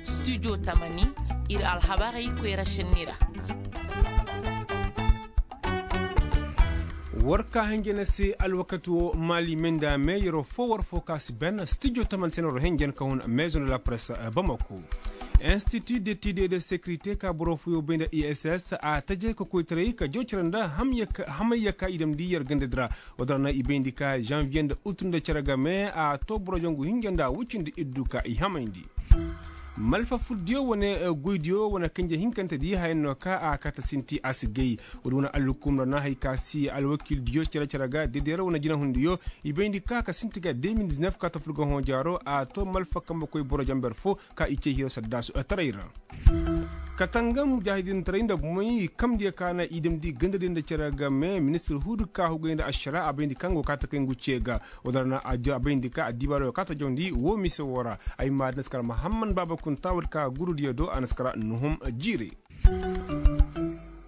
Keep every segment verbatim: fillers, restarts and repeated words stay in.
Studio tamani, ir alhabarey koyra šenni ra. War ka henjene se alwakati wo maali menda me yeroo fo war fo ka si ben studio tamani se no ro henjen ka hun maison de la presse bamako. Institut d'étude et de sécurité ka boro fo yo bay nda iss a tajey ka koytaray ka joocira nda hamay ya ka i damndi yer ganda di ra. Wala na i bayndi ka janviye nda utu nda cere game a to boro jangu hinja nda wucindi iddu ka i hamayndi. Malfa furdiyo wane goydiyo wane kanje hinkante di hayan no ka a kata sinti a si gay. Wala wane allukum ra na hay ka si alwakildiyo cere cere ga dedera wane jinahundiyo i bayndi ka ka sinti ga deux mille dix-neuf ka ta furga hõ jaaro a to malfa kambe koy boro jamber fo ka i ce hiro saddasu taray ra. Katangam jahidintaray nda bumey kamdiyo ka na i damndi gandadiyo nda cere game ministir huudu ka hugay nda ašara a bayndi kaŋ go ka takay ngu ce ga. Wala na a bayndi ka addibaaro ka ta jawndi wo mise wo ra. Ay ma da na si kara mahamman baaba kunta wala ka gurudiyo do a na si kara nuhum jiire.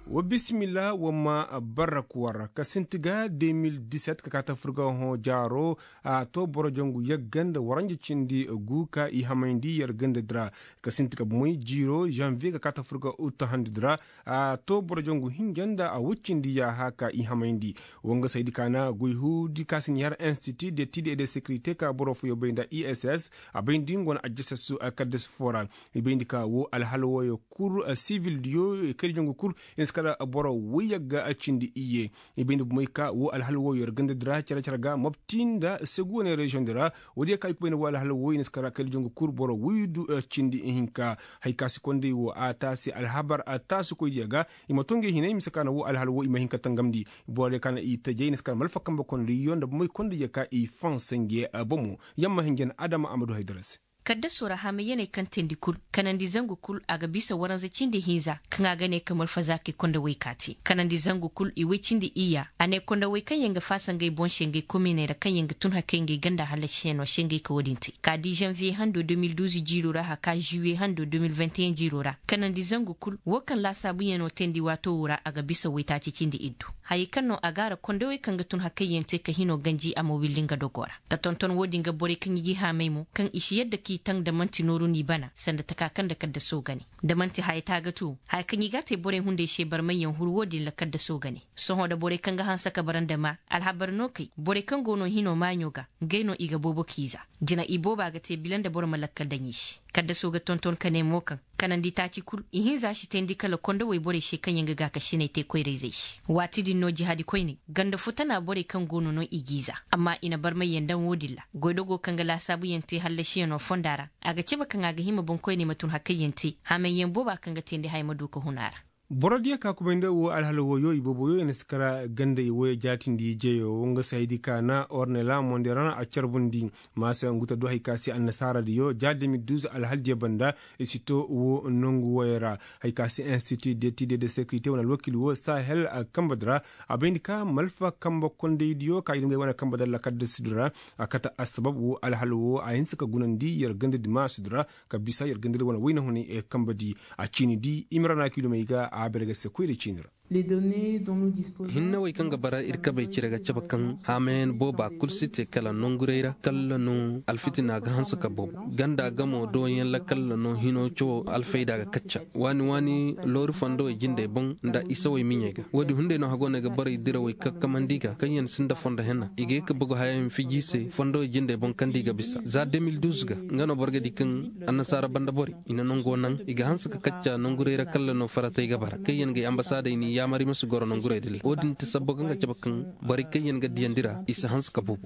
Wa bisimila wa ma barak war ka sinti ga deux mille dix-sept ka ka ta furga hõ jaaro. A to boro jangu yagga nda waranja cindi gu ka i hamayndi yer ganda di ra. Ka sinti ga bumey jiiro janviye ka ka ta furga uta handi di ra. A to boro jangu hinja nda a wuccindi yaaha ka i hamayndi. Wanga saydi ka na goy huudi ka si ɲaar institut d'étude et de sécurité ka boro fooyo bay nda iss a bayndi nga wane ajjasasu kaddas fo ra. I bayndi ka wo alhala wooyo kul sivildiyo kaydijangu kul i na si kala boro woy yagga cindi iyye. I bayndi bumey ka wo alhala wooyo yer ganda di ra cere cere ga mobti nda segu wane reziyoŋ di ra. Woodiyo ka i kubay nda wo alhala wooyo i na si kala kaydijangu kul boro woy du cindi ihinka. Hay ka si konday wo a taasi alhabar a taasi koydiyo ga. I ma to ngey hinay mise ka na wo alhala wooyo i ma hin ka tangamndi. Borodiyo ka na i tajey i na si kala malfa kambe kondiyo nda bumey kondiyo ka i fanse nge bomo. Yamma hinjan adama a ma du haydara se. Kaddasoo ra hamayyaney kaŋ teendi kul kanandi zangu kul a ga bisa waranza cindi hinza kaŋ a ga ne ka malfazaakey kondowey kaati kanandi zangu kul i woy cindi iyya a ne kondowey kaŋ yaŋ ga faasa ngey boŋ se ngey kominey ra kaŋ yaŋ ga tun hakay ngey ganda hallasiyanoo se ngey ka wo-din te ka di zanviye hando deux mille douze jiiroo ra haka zuwiye hando deux mille vingt et un jiiroo ra kanandi zangu kul wo kaŋ laasaabuyanoo teendi waatoo wo ra a ga bisa woytaaci cindi iddu. Hayey kaŋ no a ga a ra kondowey kaŋ ga tun hakayyaŋ te ka hinoo ganji a ma willi nga dogoo ra. Ka tonton wo-din ga borey kaŋ i g'i haamay mo kaŋ i si yadda k'i taŋ nda man'ti nooru n'i bana sanda taka kaŋ nda kaddasoo ga ne. Nda man'ti haya taagatu haya kaŋ i g'a te borey hunday se barmayyaŋ huru wo-din ra kaddasoo ga ne. Sohõ nda borey kaŋ ga hanse ka bara nda maa alhabar no kay borey kaŋ go no hinoo maaɲo ga ngey no i ga boobo k'i za. Jina i booba ga te bila nda boro ma lakkal daŋ i se. Kaddasoo ga tonton ka ne mo kaŋ kanandi taaci kul ihinza si teendi kala kondowey borey se kaŋ yaŋ ga gaakasiney te koyrayzey se. Waati din no jihaadi koyney ganda futana borey kaŋ go no no i g'i za amma i na barmayyaŋ daŋ wo-din ra. Goydogoo kaŋ ga laasaabuyaŋ te hallasiyanoo fonda ra a ga cabe kaŋ a ga hima boŋkoyney ma tun hakayyaŋ te hamayyaŋ booba kaŋ ga teendi haya ma du ka hun a ra. Borodiyo ka kubay nda wo alhala wooyo i booboyo i na si kara gandey wooyo jaatindi jeyo wo nga se haydi ka na ornela monderan a carbundi. Maasa ngu ta du hay ka se annasaaradiyo ja deux mille douze alhaldiyo banda i si to wo nongu wooyo ra. Hay ka se institut d'étude de sécurité wane alwakil wo sahel kambadi ra. A bayndi ka malfa kamba kondaydiyo ka i dungay wane kambadi ra lakaddasidi ra. A kate assabab wo alhala wo a hinse ka gunandi yer gandadi maasidi ra ka bisa yer gandadi wane wayna hunay kambadi. A ciini di i ma ra na kiilomey ga a bere ga se koyra ciini ra. Hinnawey kaŋ ga bara ir kabey cire ga cabe kaŋ haamayaŋ booba kul si te kala nonguray ra kalla no alfitina ga hanse ka boobo. Ganda gamo dooyaŋ ra kalla no hino cawo alfayda ga kacca waani waani loori fondowey jindey boŋ nda isawey miɲey ga. Woodi hunday no hagooney ga borey dirawey kakkamandi ga kaŋ yaŋ sinda fondo henna i ga ye ka bugu hayayaŋ fiji se fondowey jindey boŋ kaŋ da i ga bisa za deux mille douze ga nga no boro ga di kaŋ annasaara banda borey i na nango naŋ i ga hanse ka kacca nanguray ra kalla no faratey ga bara kaŋ yaŋ ga ay ambasaadey n'i yaamar i ma si goro nanguray din ra wo-din ti sabbo kaŋ ga cabe kaŋ borey kaŋ yaŋ ga diyandi ra i si hanse ka boobo.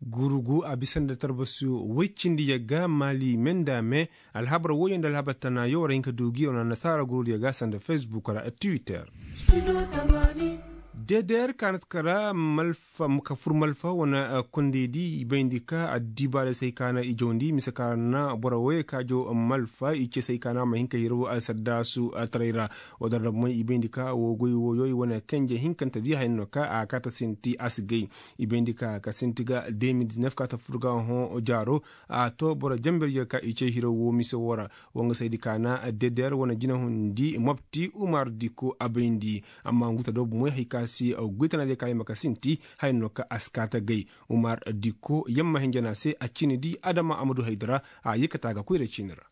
Gurugu a bisa nda tarbasi woy cindi yagga maali me nda me. Alhabar woyo nda alhabar tana yo war hin ka du gi yo na nasaara gurudiyo ga sanda facebook ra twitter. Deder ka na si kara malfa ka fur malfa wane kondey di i bayndi ka addibaarey se hay ka na i jawndi mise ka na boro woyey ka jaw malfa i ce se hay ka na a ma hin ka hiro saddaasu taray ra. Wadar ra bumey i bayndi ka wo goy woyoy wane kenje hinkante di haya no ka a kaata sinti a si gay. I bayndi ka ka sinti ga deux mille dix-neuf ka ta fur ga hõ jaaro a to boro jamberyo ka i ce hiro wo mise wo ra. Wanga saydi ka na deder wane jinahundi mobti umar diko a bayndi. Amma ngu ta do bumey hay ka A si goy tana diyo ka hima ka sinti haya no ka a si kaata gay. Umar dikko yamma hinja no a se a ciini di adama a ma du haydara a yee ka taa ga koyra ciini ra.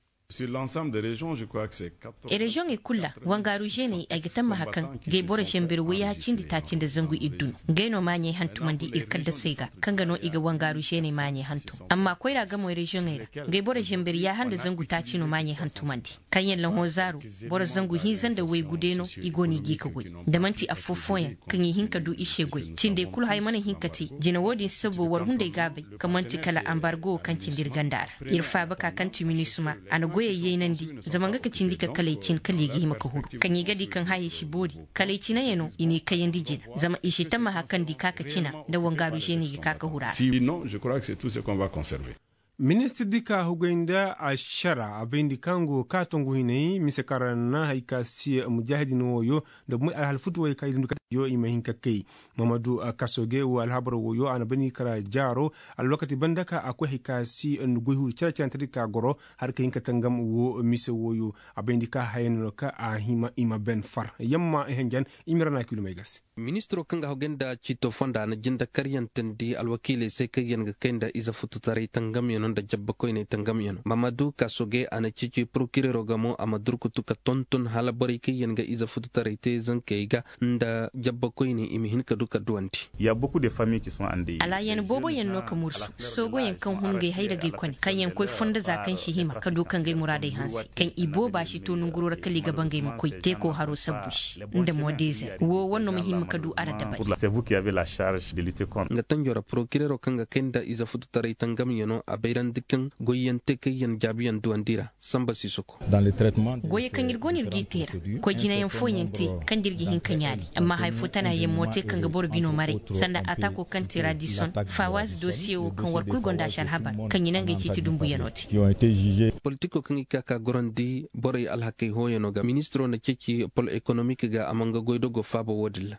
Reziyoŋey kul ra wangaaru žeeney ay ga tammaha kaŋ gay boro žembir wayya cindi taaci nda zangu ir dumi. Gay no maaɲey hantumandi ir kaddasey ga kaŋ ga no i ga wangaaru žeeney maaɲey hantum. Amma koyra gamoy reziyoŋey ra gay boro žembir yaaha nda zangu taaci no maaɲey hantumandi. Kaŋ yaŋ lahozaaro boro zangu hinza nda waygu day no i go no i g'i ka goy. Da man'ti affoo-fooyaŋ kaŋ i hin ka du i se goy cindey kul haya mana hin ka te. Jine wo-din sabbo war hunday gaabey kaŋ man'ti kala ambargo kaŋ cindi ir ganda ra. Ir faaba ka kaŋ ti minisima a na goyey yaynandi. Zama nga ka cindi ka kalay cin kala i ga hima ka huru kaŋ i ga di kaŋ hayey si boori. Kalay cinayaŋ no i n'i kayandi jina zama i si tammaha kaŋ di ka ka cina nda wangaaru žeeney ga ka ka huru a ra. Ministir di ka hugay nda ašara a bayndi kaŋ go ka tongu hinay mise kaŋ ra na hay ka si mujaahidin wooyo nda bumey alhal futu wooyo kaŋ i dindi ka yo i ma hin ka kay. Mahamadu kasoge wo alhabar wooyo a na bayndi kara jaaro alwakati banda ka a koy hay ka si goy huru care-carentedi ka goro har ka hin ka tangam wo mise wooyo. A bayndi ka haya no ka a hima i ma ben far yamma i hanjan i ma ra na kilomey ga se. Ministiro kaŋ ga hogay nda ciito fonda na jinde karyantandi alwakiiley se kaŋ yaŋ ga kay nda ize fututaray tangamyano nda jabbakoyney tangamyano mamadu kasoge a na ceeci porokirero ga mo a ma durkutu ka tonton hala borey kaŋ yaŋ ga ize fututaray te zankey ga nda jabbakoyney i ma hin ka du ka duwandi. Alaayan booboyaŋ no ka mursu soogoyaŋ kaŋ hun ngey hayragey kone kaŋ yaŋ koy fondo za kaŋ si hima ka du ka ngey muraadey hanse kaŋ i booba si to nanguro ra kala i ga ba ngey ma koy teeko haro sabbu se nda modezer wo war no ma himma ka du a ra dabari. Nga tanjo ra porokirero kaŋ ga kay nda ize fututaray tangamyano a bayrandi kaŋ goyyaŋ te kaŋ yaŋ jaabiyaŋ duwandi ra samba si soko. Goyey kaŋ ir go no ir g'i te ra koy jinayaŋ fooyaŋ te kaŋ da ir ga hin ka ɲaali amma haya fo tana yaŋ mo te kaŋ ga boro bino maray sanda ataako kaŋ te radison fawaz dosiye wo kaŋ war kul gonda si alhabar kaŋ i na ngey ciiti dumbuyaŋo te. Politiko kaŋ i ka ka gorandi borey alhakey hooyano ga ministiro na ceeci pol ekonomik ga a ma nga goydogo faaba wo-din ra.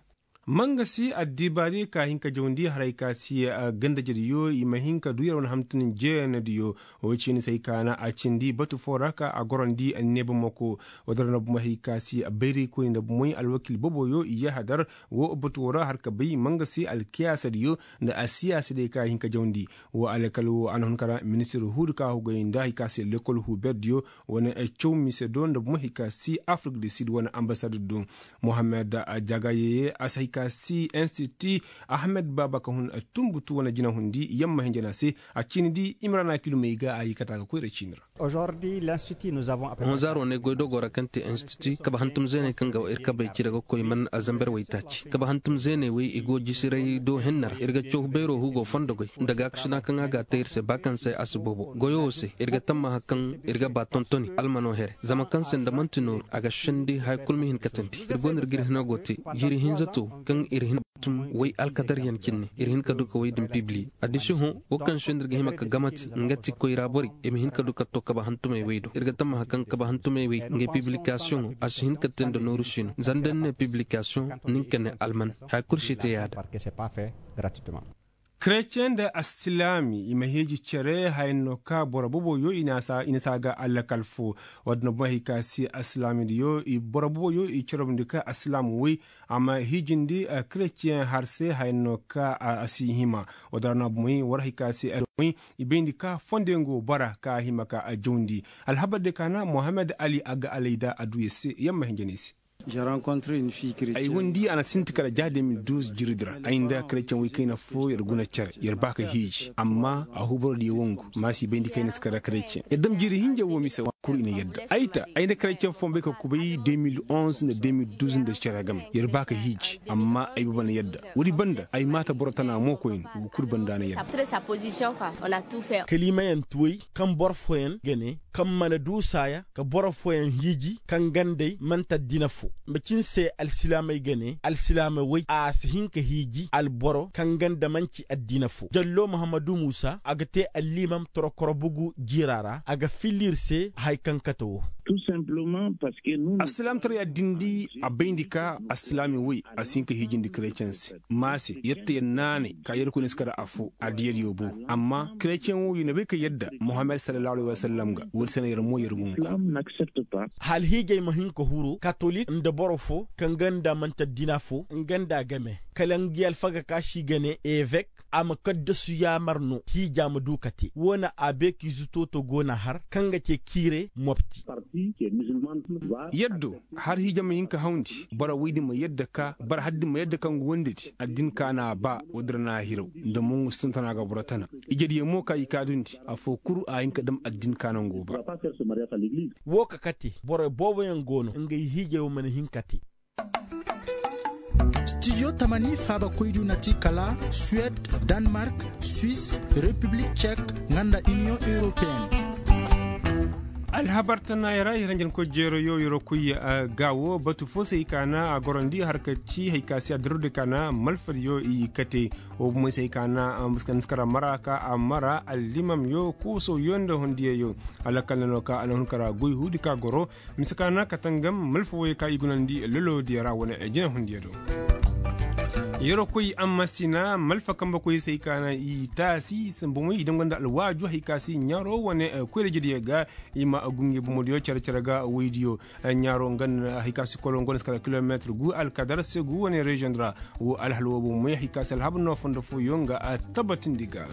Mangasi addibaari ka hin ka jawndi haray ka si gandajediyo i ma hin ka du yer wane hamtun jeenadiyo. Wo ciini se hay ka na a cindi batu foo ra ka a gorandi neebamako. Wo-din ra na bumey hay ka si bayraykoyni nda bumey alwakiil booboyo i yahadar wo batu wo ra har ka bay mangasi alkiyaasadiyo nda asiyaasadiyo ka hin ka jawndi. Wo alkal wo a na hun ka ra ministir huudi ka hugay nda hay ka si lekol huuberdiyo wane caw mise do nda bumey hay ka si afirik di sid wane ambasader do. Mohammed jagaye a si hay ka si institu ahmed baaba ka hun tumbutu wane jinahundi yamma hinja no a se a ciini di i ma ra na kilomey ga a yee ka taa ga koyra ciini ra. Honzaaro ne goydogoo ra kaŋ te institu kabe hantum zeeney kaŋ ga ir kabey cire ga koy man a zamber waytaaci kabe hantum zeeney wey i go jisiray do henna ra ir ga caw beeroo hugo fondo goy nda gaakasina kaŋ a ga a te ir se ba kaŋ se a si boobo goyo wo se ir ga tammaha kaŋ ir ga ba tontoni almano here zama kaŋ se nda man'ti nooru a ga sendi haya kul ma hin ka teendi ir go no ir ga ir hino go te jiiri hinza to kaŋ ir hin tum way alkadaryaŋ cinne ir hin ka du ka way din pibili. Addiši hõ wo kaŋ se nda ir ga hima ka gamati nga ti koyra borey i ma hin ka du ka to kaba hantumey way do ir ga tammaha kaŋ kaba hantumey way ngey pibilikasiyoŋo a si hin ka te nda nooru siino zanda ni ne pibilikasiyoŋ nin ka ne alman haya kul si te yaada. Kereceŋ nda alsilaami i ma hiiji cere haya no ka boro boboyo i na si a ga alakal fo. Wadda no boŋ hay ka si alsilaamidiyo boro boboyo i carobndi ka alsilaam woy a ma hiijindi kereceŋ har se haya no ka a si hima. Wadda ra no a bomoy war hay ka si alsilaam woy i bayndi ka fondeŋo bara ka a hima ka a jawndi. Alhabar de ka na mohammed ali a ga alay da a du yer se yer ma hinja no ay se. Ay windi a na sinti kala ja de mil duuz jiridi ra ay nda kereceŋ woy kayna fo yer guna cere yer ba ka hiiji amma a hubaro diyo wangu ma si bayndi kayna si kala kereceŋ yer dam jiri hinja wo mise wa kul i na yadda ay ta ay nda kereceŋ fo ma bay ka kubay de mil onze nda de mil duuz nda cere game yer ba ka hiiji amma ay baba na yadda. Woodi banda ay maata boro tana mo koyne wo kul banda na yadda. Kaliimayaŋ ti woy kaŋ boro fooyaŋ ga ne kaŋ mana du saaya ka boro fooyaŋ hiiji kaŋ gandey man'ti addina fo. Macin se alsilaamey ga ne alsilaame woy a si hin ka hiiji alboro kaŋ ganda man'ci addina fo jallo muhammadu muusa a ga te alliimam torokoro bugu jiira ra a ga filla ir se haya kaŋ kate wo. Assilaamtaray addindi a bayndi ka assilaami woy a si hin ka hiijindi kerecen se. Maase yette yer naanay ka yerkoy na si kar affoo addiyadiyo boobo amma kerecen wo yer na bay ka yadda muhammad sallallahu alayhi wasallam ga woodi se na yer mo yer gungu. Hala hiijay ma hin ka huru katolik nda boro foo kaŋ ganda manti addina foo nga nda a game kala ngi alfaga ka si ga ne evek a ma kaddasu yaamar no hiija ma du ka te wo na abeekiize tooto go na har kaŋ ga te kiire mopti. Yaddo har hiija ma hin ka hawndi boro woy din ma yadda ka boro har din ma yadda ka ngu wandedi addin ka na a ba woy din ra na a hiraw nda mongu si tun tana ga boro tana ijediyo mo ka i ka dundi affoo kul a hin ka dam addin ka na ngu ba. Woo ka kate borey booboyaŋ go no ngey hiijey wo mana hin ka te. Stijo tamani faabakoydiyo na ti kala suwed, danmark, swis, repiblik cek, nga nda iniyoŋ europeen. Alhabar tanaayoo ra yer hanjankoy jeerayoo yeroo koy ga woo batu foo se hay ka na a gorandi har ka ci hay ka se a diroo di ka na malfadiyo i kate. Woo bomoy se hay ka na a muskandi si kar a mara ka a mara allimamyoo koosooyoo nda hundiyayyoo. Alakal na no ka a na hun kar a goy huudi ka goro mise ka na ka tangam malfa woyey ka i gunandi loloo diya ra wane jinahundiya do. Yeroo koy ammasina malfa kambe koy se hay ka na i taasi i sambu moy i danganda alwaaju hay ka se ɲaaroo wane koyra jediya ga. I ma gunge bomodiyo cere cere ga woydiyo ɲaaroo nga na hay ka se kolongo na si kala kilomeetir gu alkadar se gu wane reziyoŋ di ra. Woo alhal woo bomodiyo hay ka se alhabar no fondo fooyoŋ ga a tabatindi ga.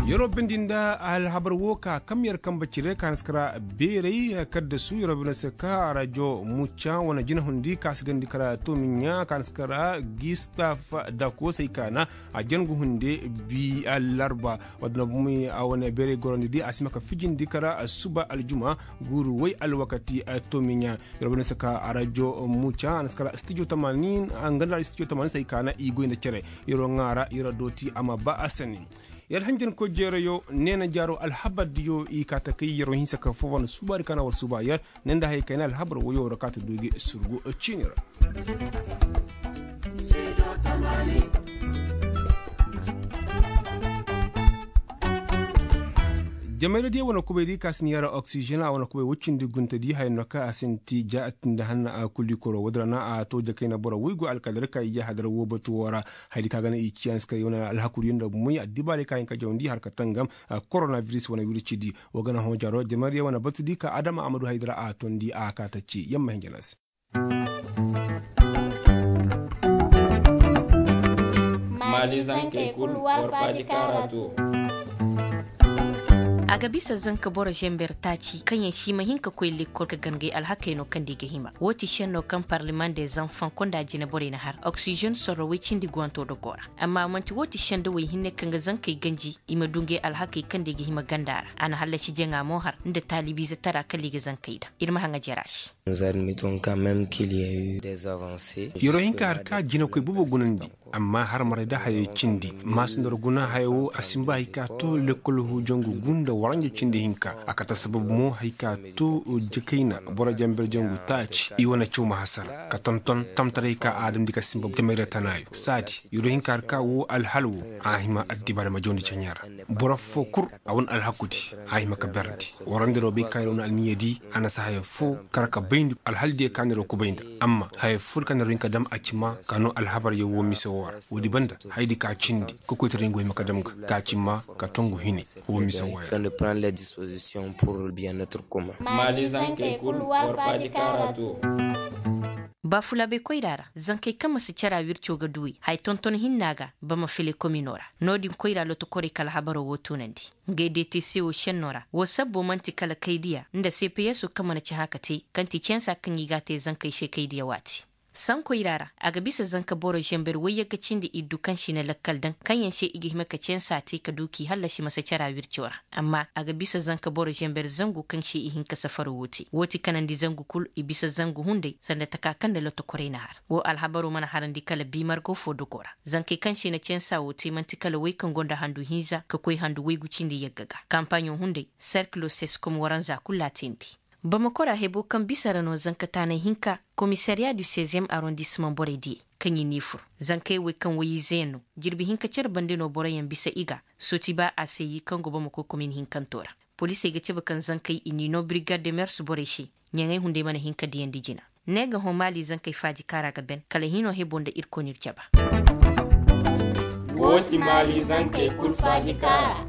Yeroo bindi nda alhabar woo ka kam yer kambe cire ka na si kara beeray kaddasu yeroo bindi se ka rajo muca wane jinahundi ka si gandi kara toomiɲa ka na si kara gistaf dakoosey ka na a jangu hunde bi allarba. Wadda no bumey a wane beeray gorandi di a si hima ka fijindi kara suba aljuma guuru woy alwakati. Toomiɲa yeroo bindi se ka rajo muca a na si kara stijo tamanin nga nda stijo tamanin se hay ka na i goy nda cere. Yeroo ŋaara yeroo dooti a ma ba a sani. Yer hanjankoy jeerayoo neena jaaroo alhabardiyo i kaa ta kay yeroo hinsa ka foo wane suubaadi ka na war suuba yer ne nda haya kayna alhabar woyoo ra kaa ta du gi surgu ciini ra. Jamayra diya wane kubay di ka si ni yara oksijen a wane kubay woy cindi gunta di haya no ka a sinti ja a tindi hanna a kuli koro woy di ra na a to jakayna boro woy go alkadar ka i ya hadar woo batu woo ra. Haya di ka ga na i ciya ni si kay wane alhaku di nda moy addibaarey ka hin ka jawandi har ka tangam koronabiris wane wirci di. Woo ga na hõ jaro jamayra diya wane batu di ka adama a ma du haya di ra a tondi a kaa ta ci yamma hin jana se. Maali zankey kul war faaji kaara to. A ga bisa zanka boro zember taaci kaŋ yaŋ si ma hin ka koy lekkol ka gangay alhakey no kaŋ da i ga hima woo ti šenno kaŋ parleman de zanfaŋ konda jineborey na har oksizen sorro woy cindi guwanto dogoo ra. Amma man'ti woo ti šenda woy hinne kaŋ ga zankey ganji i ma du ngey alhakey kaŋ da i ga hima ganda ra a na hallasi jaŋa mo har nda taalibiize tara kala i ga zankey daŋ. Ir ma haŋa jera se. Yeroo hinka har ka jinakoy boobo gunandi. Amma har maray da hayey cindi maasindor guna haya woo a sinba hay ka to lekkol huujangu gunda waranja cindi hinka a kate sababu mo hay ka to jakayna boro jamber jangu taaci i wane caw ma hasara ka tonton tamtaray ka a damndi ka sinba jamayra tanaayo saadi. Yeroo hinka har ka woo alhal woo a hima addibaari ma jawndi caɲaa ra. Boro foo kul a wane alhakudi a hima ka berndi. Warandiroo bay ka yeroo na alniiyadi a na si haya foo kar ka bayndi alhaldiyo ka na yeroo kubay nda. Amma haya foo di ka na yeroo hin ka dam a ci maa ka noo alhabaryaŋ woo mise woo ra. Woodi banda hayadi ka cindi kokoytaray ngu hima ka dam ga ka ci maa ka tongu hine. Woo mise woo ra. Maali zankey kul war faaji kaara to. Baafulaabey koyra ra zankey kaŋ ma si cara wirco ga duwey haya tonton hinna ga bama file komino ra. No-din koyra lotokorey ka alhabaroo woo tunandi. Ngey deetey se woo šenno ra woo sabbo man'ti kala kaydiya nda sepeyeso kaŋ mana ci hã ka te kaŋ ti censa kaŋ i g'a te zankey se kaydiya waati. Sankoy ra ra a ga bisa zanka boro zember woyyagga cindi iddu kaŋ si na lakkal daŋ kaŋ yaŋ se i ga hima ka censa te ka du k'i hallasi masa cara wirco ra. Amma a ga bisa zanka boro zember zangu kaŋ se i hin ka safaro woo te woo ti kanandi zangu kul i bisa zangu hunday sanda taka kaŋ nda lotokorey na har. Woo alhabaroo mana harandi kala biimargo foo dogoo ra. Zankey kaŋ se na censa woo te man'ti kala woy kaŋ go nda handu hinza ka koy handu woygu cindi yagga ga kampaaɲo hunday serkilo seskom waranza kul laatindi. Bamako ra heboo kaŋ bisa ra no zankataanay hinka, komisariya du seizième arrondissement borey diyey kaŋ i n'i fur. Zankey wey kaŋ woy-izeyaŋ no jirbi hinka cere bande no boroyaŋ bisa i ga sooti ba a se yi kaŋ go bamako komin hinkantoo ra. Polisey ga cabe kaŋ zankey i n'i noo birigaad de mers borey se. Ɲaŋey hunday mana hin ka diyandi jina. Ne ga hõ maali zankey faaji kaara ga ben kala hino hebo nda irkoy n'ir jaba. Wo ti maali zankey kul faaji kaara.